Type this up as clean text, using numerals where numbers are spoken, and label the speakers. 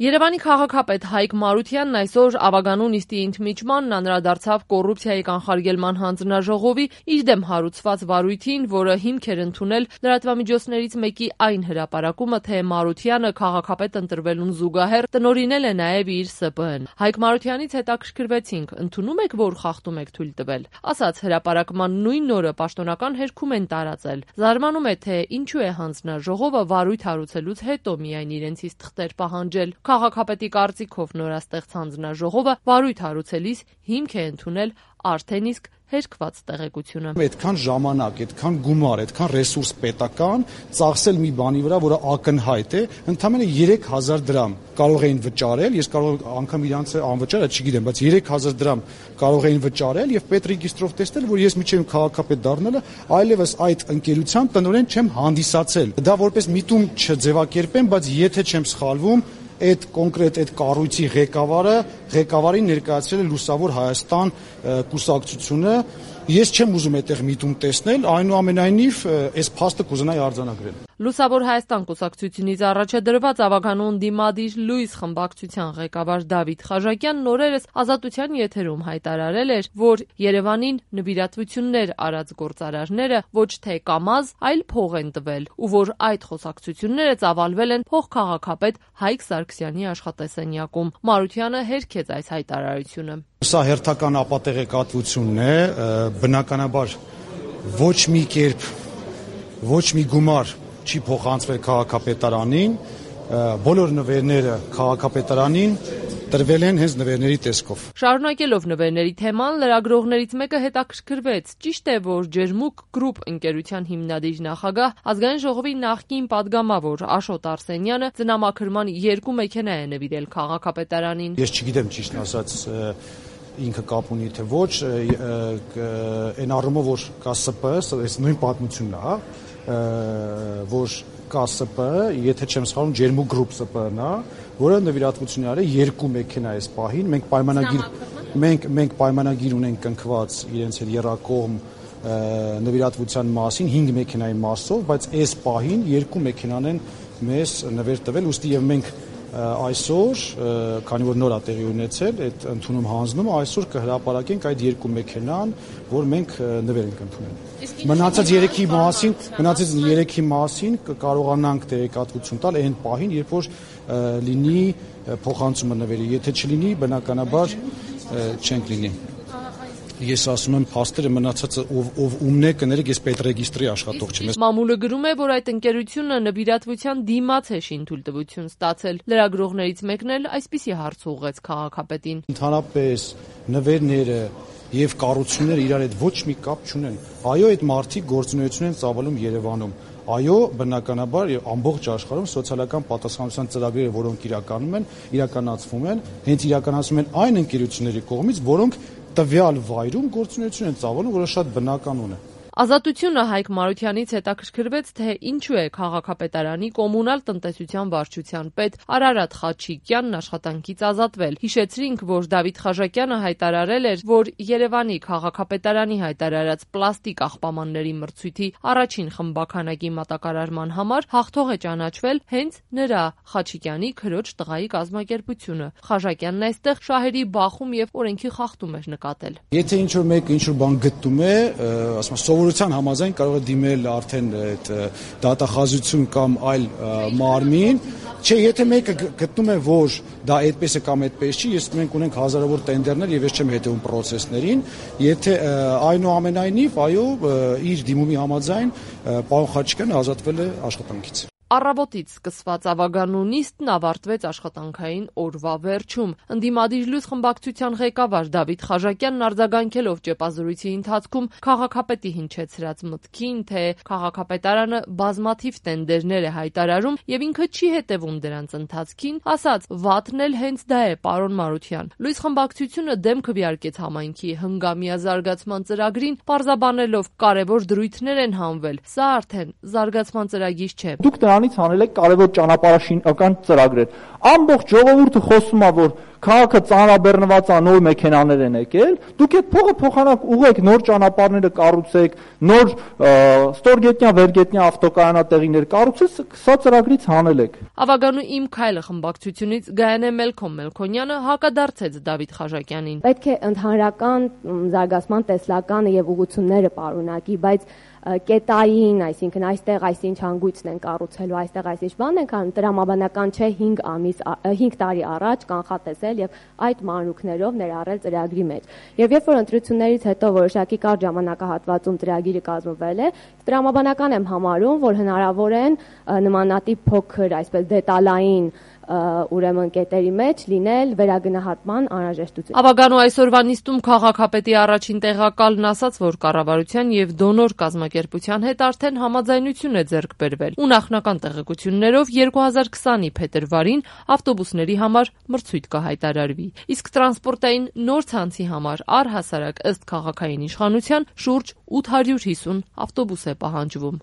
Speaker 1: Երևանի քաղաքապետ Հայկ Մարությանն այսօր ավագանու նիստի ընդմիջմանն անդրադարձավ կոռուպցիայի կանխարգելման հանձնաժողովի իր դեմ հարուցված վարույթին, որը հիմք էր ընդունել լրատվամիջոցներից մեկի այն հրապարակումը, թե Մարությանը քաղաքապետ ընտրվելուն զուգահեռ տնօրինել է նաև իր ՍՊԸ-ն։ Հայկ Մարությանից հետաքրքրվեցինք, ընդունում եք, որ խախտում եք թույլ տվել։ Ասաց, հրապարակման նույն օրը պաշտոնական հերքում են տարածել։ Զարմանում է, թե ինչու է հանձնաժողովը վարույթ հարուցելուց հետո միայն իրենցից թղթեր պահանջել։ Քաղաքապետի կարծիքով նորաստեղծ հանձնաժողովը վարույթ հարուցելիս հիմք է ընդունել արդեն իսկ հերկված տեղեկությունը։
Speaker 2: Այդքան ժամանակ, այդքան գումար, այդքան ռեսուրս պետական ծախսել մի բանի վրա, որը ակնհայտ է, ընդամենը 3000 դրամ կարող էին վճարել, ես կարող անգամ իրանց անվճար, չգիտեմ, բայց 3000 դրամ կարող էին վճարել եւ պետրեգիստրով տեսնել, որ ես միջև քաղաքապետ դառնալը այլևս այդ ընկերության տնօրեն չեմ հանդիսացել։ Դա որպես միտում չձևակերպեմ, բայց եթե չեմ սխալվում, այդ կոնկրետ այդ կառույցի ղեկավարին ներկայացրել է Լուսավոր Հայաստան կուսակցությունը։ Ես չեմ ուզում այդտեղ միտում տեսնել, այնուամենայնիվ այս փաստը կուզենայի արձանագրել։
Speaker 1: Լուսավոր Հայաստան կուսակցությունից առաջադրված ավագանու ընդդիմադիր Լույս խմբակցության ղեկավար Դավիթ Խաժակյանն օրերս Ազատության եթերում հայտարարել էր, որ Երևանին նվիրատվություններ արած գործարարները ոչ թե կամազ, այլ փող են տվել, ու որ այդ խոսակցությունները ծավալվել են փոխքաղաքապետ Հայկ Սարգսյանի աշխատասենյակում։ Մարությանը հերքեց այս հայտարարությունը։
Speaker 2: Սա հերթական ապատեղեկատվությունն է, բնականաբար ոչ մի կերպ, ոչ մի գումար չի փոխանցվել քաղաքապետարանին, բոլոր նվերները քաղաքապետարանին տրվել են հենց նվերների տեսքով։
Speaker 1: Շարունակելով նվերների թեման, լրագրողներից մեկը հետաքրքրվեց, ճիշտ է, որ Ջերմուկ Գրուպ ընկերության հիմնադիր նախագահ, ազգային ժողովի նախկին падգամավոր Աշոտ Արսենյանը ծնամաքրման 2 մեքենա է նվիրել քաղաքապետարանին։
Speaker 2: Ես չգիտեմ ճիշտն ասած ինքը կապ ունի թե ոչ, այն առումով որ կա ՍՊԸ, այս նույն պատմությունն է, որ կա ՍՊԸ, եթե չեմ սխալվում, Ջերմուկ Գրուպ ՍՊԸ-ն է, որը նվիրատվություն արել 2 մեքենա այս պահին, մենք պայմանագիր ունենք կնքված իրենց հետ եռակողմ նվիրատվության մասին 5 մեքենայի մասով, բայց այս պահին 2 մեքենան են մեզ նվեր տվել, ուստի եւ մենք այսօր, քանի որ նոր է տեղի ունեցել այդ ընդունում հանձնումը, այսօր կհրապարակենք այդ 2 մեքենան, որ մենք նվեր ենք ընդունել։ Մնացած 3-ի մասին կկարողանանք տեղեկատվություն տալ այն պահին, երբ որ լինի փոխանցումը նվերի, եթե չլինի, բնականաբար չենք լինի։ Ես ասում եմ փաստերը մնացածը ով ումն է կներեք, ես պետրեգիստրի աշխատող չեմ։
Speaker 1: Մամուլը գրում է, որ այդ ընկերությունը նվիրատվության դիմաց է շինթույլտվություն ստացել։ Լրագրողներից մեկն էլ այսպիսի հարց ուղղեց քաղաքապետին։
Speaker 2: Ընդհանրապես նվերները եւ կառույցները իրար հետ ոչ մի կապ չունեն։ Այո, այդ մարդիկ գործունեություն են ծավալում Երևանում։ Այո, բնականաբար եւ ամբողջ աշխարհում սոցիալական պատասխանատվության ծրագրերը, որոնք իրականացվում են, հենց իրականացվում են այն ընկերությունների կողմից, որոնք տվյալ վայրում գործունեություն են ծավալում, որը շատ բնականon է։
Speaker 1: Ազատությունը Հայկ Մարությանից հետաքրքրվեց, թե ինչու է քաղաքապետարանի կոմունալ տնտեսության վարչության պետ Արարատ Խաչիկյանն աշխատանքից ազատվել։ Հիշեցրինք, որ Դավիթ Խաժակյանը հայտարարել էր, որ Երևանի քաղաքապետարանի հայտարարած պլաստիկ աղբամանների մրցույթի առաջին խմբականակի մատակարարման համար հաղթող է ճանաչվել հենց նրա Խաչիկյանի քրոջ տղայի կազմակերպությունը։ Խաժակյանն այստեղ շահերի բախում եւ օրենքի խախտում էր նկատել։
Speaker 2: Եթե ինչ-որ մեկը ինչ-որ բան գտնում է, ասում եմ սովորության համաձայն կարող է դիմել արդեն այդ դատախազություն կամ այլ մարմին, չէ, եթե մեկը գտնում է, որ դա այդպես է կամ այդպես չի, մենք ունենք հազարավոր տենդերներ եւ ես չեմ հետեւում պրոցեսներին, եթե այնուամենայնիվ, այո, իր դիմումի համաձայն պարոն Խաչիկյանը ազատվել է աշխատանքից։
Speaker 1: Առավոտից սկսված ավագանու նիստն ավարտվեց աշխատանքային օրվա վերջում։ Ընդդիմադիր Լույս խմբակցության ղեկավար Դավիթ Խաժակյանն արձագանքելով ճեպազրույցի ընթացքում քաղաքապետի հնչեցրած մտքին, թե քաղաքապետարանը բազմաթիվ տենդերներ է հայտարարում եւ ինքը չի հետևում դրանց ընթացքին, ասաց. «Վատն էլ հենց դա է, պարոն Մարության»։ Լույս խմբակցությունը դեմ քվեարկեց համայնքի հնգամյա զարգացման ծրագրին, պարզաբանելով կարևոր դրույթներ են հանվել։ Սա արդեն զարգացման ծրագիր չէ։
Speaker 3: Դուք դրանից հանել եք կարևոր ճանապարհաշինական ծրագրեր։ Ամբողջ ժողովուրդը խոսում է, որ քաղաքը ծանրաբեռնված է, նոր մեքենաներ են եկել, դուք այդ փողը փոխանակ ուղեք, նոր ճանապարհները կառուցեք, նոր ստորգետնյա, վերգետնյա ավտոկայանատեղիներ կառուցեք, սա ծրագրից հանել եք։
Speaker 1: Ավագանու Իմ քայլը խմբակցությունից Գայանե Մելքոմյանը հակադարձեց Դավիթ Խաչակյանին։
Speaker 4: Պետք է ընդհանրական զարգացման տեսլականը եւ ուղղությունները պարունակի, բայց կետային, այսինքն այստեղ այսինչ հանգույցն են կառուցելու, այստեղ այսինչ բան ենք անում, տրամաբանական չէ 5 տարի առաջ կանխատեսել եւ այդ մանրուքներով ներառել ծրագրի մեջ։ Եվ երբ որ ընտրություններից հետո որոշակի կարճ ժամանակահատվածում ծրագիրը կազմվել է, տրամաբանական եմ համարում, որ հնարավոր են նմանատիպ փոքր, այսպես դետալային ուրեմն կետերի մեջ լինել վերագնահատման անհրաժեշտություն։
Speaker 1: Ավագանու այսօրվա նիստում քաղաքապետի առաջին տեղակալն ասաց, որ կառավարության եւ դոնոր կազմակերպության հետ արդեն համաձայնություն է ձեռք բերվել ու նախնական տեղեկություններով 2020-ի փետրվարին ավտոբուսների համար մրցույթ կհայտարարվի։ Իսկ տրանսպորտային նոր ցանցի համար առհասարակ ըստ քաղաքային իշխանության շուրջ 850 ավտոբուս է պահանջվում։